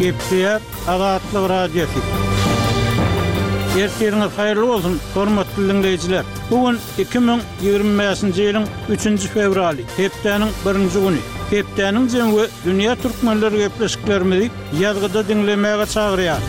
Gepleýär Azatlyk Radiosy. Ertiriňiz haýyrly bolsun, hormatly diňleýjiler! Bu gün 2025-nji ýylyň üçünji fewraly, hepdäniň birinji güni. Hepdäniň jemi we dünýä türkmenleri gepleşiklerimizi ýazgyda diňlemäge çagyrýar.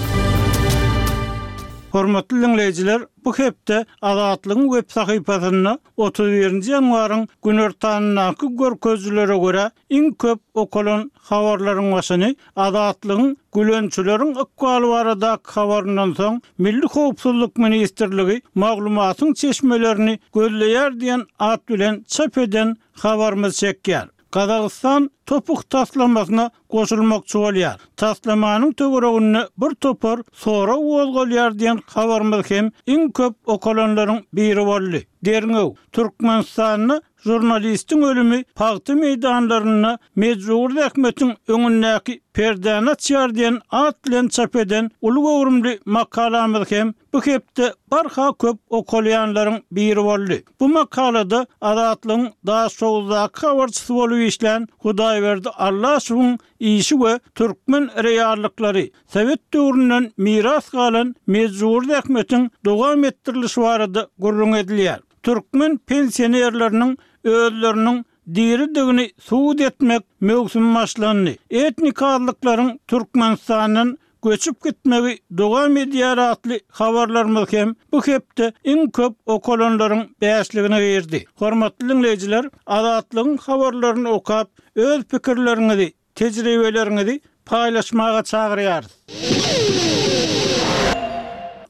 Hormatly diňleýjiler, bu hepde Azatlygyň web sahypasynda 31-nji ýanwaryň günortanyndaky görkezijilere görä, iň köp okalan habarlaryň başyny Azatlygyň gülençileriň ykbaly baradaky habaryndan soň, Milli howpsuzlyk ministrligi maglumatyň çeşmelerini gözleýär diýen at bilen çap eden habarymyz çekýär. Gazagystan TOPH taslamasyna goşulmakçy bolýar. Taslamanyň töwereginde bir topar sorag gozgalýar diýen habarymyz hem iň köp okalanlaryň biri boldy. Derňew, Türkmenistanda žurnalistiň ölümi pagta meýdanlarynda mejbury zähmetiň öňündäki perdäni açýar diýen at bilen çap eden uly göwrümli makalamyz hem bu hepde barha köp okalýanlaryň biri boldy. Bu makalada Azatlygyň Daşoguzdaky habarçysy bolup işlän Hudaýberdi Allaşowyň işi we türkmen reallyklary, sowet döwründen miras galan mejbury zähmetiň dowam etdirilişi barada gürrüň edilýär. Türkmen pensionerleriniň özleriniň diridigini subut etmek möwsümi başlandy. Etnik azlyklaryň Türkmenistandan göçüp gitmegi dowam edýär atly habarlarymyz hem bu hepde iň köp okalanlaryň bäşligine girdi. Hormatly diňleýjiler, Azatlygyň habarlaryny okap, öz pikirleriňizi, tejribeleriňizi paýlaşmaga çagyrýarys.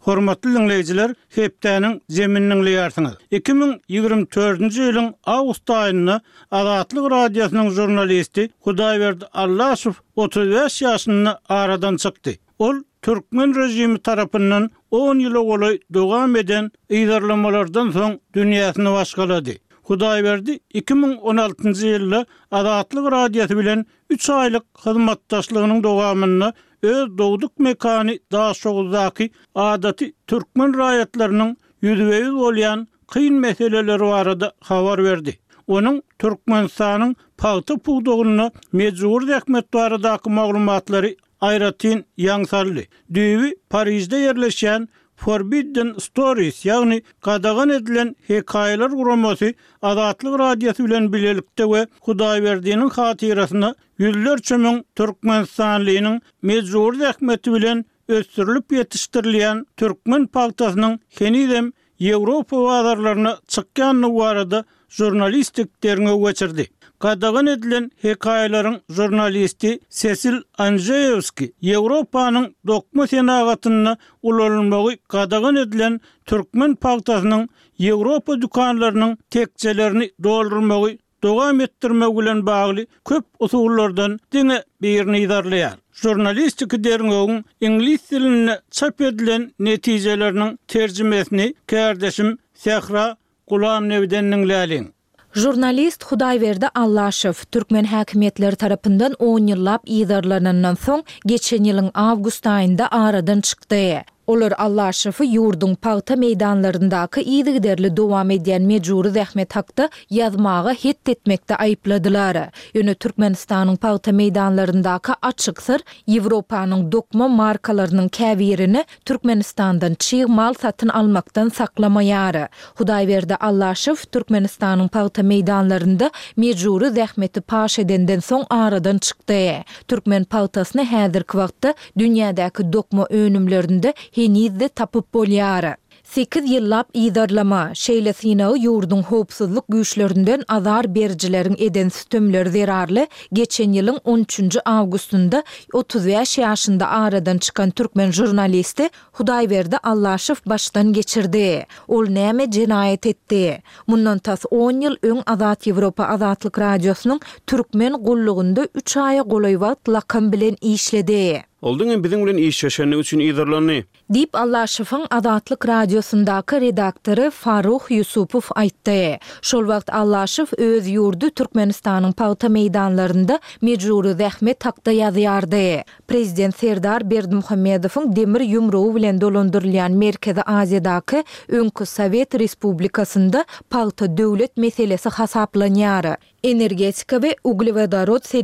Hormatly diňleýjiler, hepdäniň jemini diňleýärsiňiz. 2024-nji ýylyň awgust aýynda Azatlyk Radiosynyň žurnalisti Hudaýberdi Allaşow 35 ýaşynda aradan çykdy. Ol türkmen režimi tarapyndan on ýyla golaý dowam eden yzarlamalardan soň dünýäsini başgalady. Hudaýberdi 2016-njy ýylda Azatlyk Radiosy bilen üç aýlyk hyzmatdaşlygynyň dowamynda öz dogduk mekany Daşoguzdaky adaty türkmen raýatlarynyň ýüzbe-ýüz bolýan kyn meseleleri barada habar berdi. Onuň Türkmenistanyň pagta pudagynda mejbury zähmet baradaky maglumatlary aýratyn ýaň saldy. Düýbi Parižde ýerleşýän Forbidden Stories, ýagny Gadagan edilen hekaýalar guramasy Azatlyk Radiosy bilen bilelikde we Hudaýberdiniň hatyrasyna ýüzlerçe müň türkmenistanlynyň mejbury zähmeti bilen ösdürilip ýetişdirilýän türkmen pagtasynyň henizem Ýewropa bazarlaryna çykýandygy barada žurnalistik derňew geçirdi. Gadagan edilen hekaýalaryň žurnalisti Sesil Anžeýewski Ýewropanyň dokma senagatynda ulanylmagy gadagan edilen türkmen pagtasynyň Ýewropa dükanlarynyň tekjelerini doldurmagy dowam etdirmek bilen bagly köp usullardan diňe birini yzarlaýar. Žurnalistiki derňewiň iňlis dilinde çap edilen netijeleriniň terjimesini kärdeşim Sähra Gulamnebiden diňläliň. Žurnalist Hudaýberdi Allaşow, türkmen häkimiýetleri tarapyndan on ýyllap yzarlanandan soň, geçen ýylyň awgust aýynda aradan çykdy. Olar Allaşowy ýurduň pagta meýdanlaryndaky yzygiderli dowam edýän mejbury zähmet hakda ýazmaga het etmekde aýypladylar. Ýöne Türkmenistanyň pagta meýdanlaryndaky açyk syr Ýewropanyň dokma markalarynyň käbirini Türkmenistandan çig mal satyn almakdan saklamaýar. Hudaýberdi Allaşow Türkmenistanyň pagta meýdanlarynda mejbury zähmeti paş edenden soň aradan çykdy. Türkmen pagtasyny häzirki wagtda Dünýädäki dokma önümlerinde heniz-de tapyp bolýar. Sekiz ýyllap yzarlama, şeýle synagy ýurduň howpsuzlyk güýçlerinden azar berijileriň eden sütemleri zerarly geçen ýylyň on üçünji awgustynda 35 ýaşynda aradan çykan türkmen žurnalisti Hudaýberdi Allaşow başdan geçirdi. Ol näme jenaýat etdi? Mundan tas on ýyl öň Azat Ýewropa Azatlyk Radiosynyň Türkmen gullugynda üç aýa golaý wagt lakam bilen işledi. Ol diňe biziň bilen işleşendigi üçin yzarlandy. Diýip, Allaşowyň Azatlyk Radiosyndaky redaktory Farruh Ýusupow aýtdy. Şol wagt Allaşow öz ýurdy Türkmenistanyň pagta meýdanlarynda mejbury zähmet hakda ýazýardy. Prezident Serdar Berdimuhamedowyň demir ýumrugy bilen dolandyrylýan Merkezi Aziýadaky öňki sowet respublikasynda pagta döwlet meselesi hasaplanýar. Energetika we uglewodorod serişdeleri.